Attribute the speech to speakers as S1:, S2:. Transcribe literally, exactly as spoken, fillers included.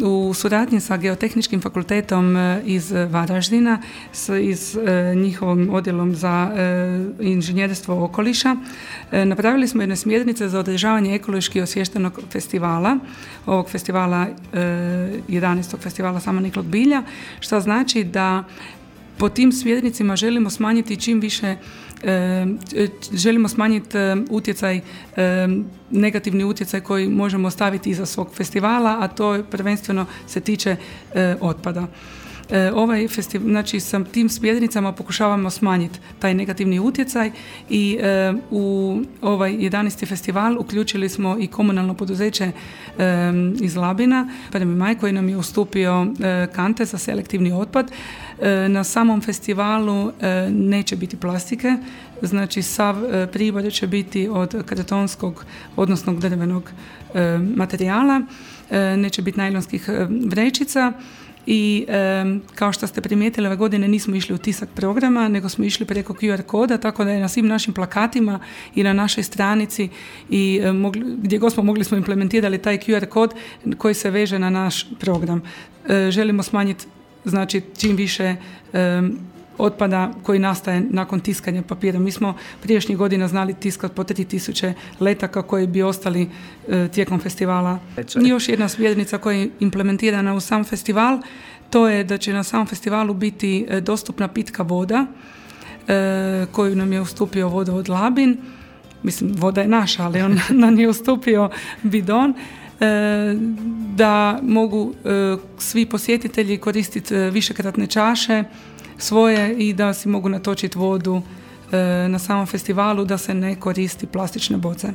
S1: u suradnji sa Geotehničkim fakultetom iz Varaždina, iz njihovim odjelom za inženjerstvo okoliša, napravili smo jedne smjernice za održavanje ekološki osviještenog festivala, ovog festivala, jedanaestog festivala samoniklog bilja, što znači da po tim smjernicima želimo smanjiti čim više, e, želimo smanjiti e, utjecaj, e, negativni utjecaj koji možemo ostaviti iza svog festivala, a to prvenstveno se tiče e, otpada. E, ovaj festival, znači sa tim smjernicama pokušavamo smanjiti taj negativni utjecaj i e, u ovaj jedanaesti festival uključili smo i komunalno poduzeće e, iz Labina, Prvi maj, koji nam je ustupio e, kante za selektivni otpad. E, na samom festivalu e, neće biti plastike, znači sav e, pribor će biti od kartonskog, odnosno drvenog e, materijala, e, neće biti najlonskih e, vrećica. I e, kao što ste primijetili, ove godine nismo išli u tisak programa, nego smo išli preko Q R koda, tako da je na svim našim plakatima i na našoj stranici i e, mogli, gdje god smo mogli smo implementirali taj Q R kod koji se veže na naš program. E, želimo smanjiti, znači, čim više e, otpada koji nastaje nakon tiskanja papira. Mi smo prijašnjih godina znali tiskati po tri tisuće letaka koji bi ostali e, tijekom festivala. I još jedna smjernica koja je implementirana u sam festival, to je da će na samom festivalu biti e, dostupna pitka voda e, koju nam je ustupio vodovod Labin. Mislim, voda je naša, ali on nam je ustupio bidon. Da mogu svi posjetitelji koristiti višekratne čaše svoje i da si mogu natočiti vodu na samom festivalu, da se ne koristi plastične boce.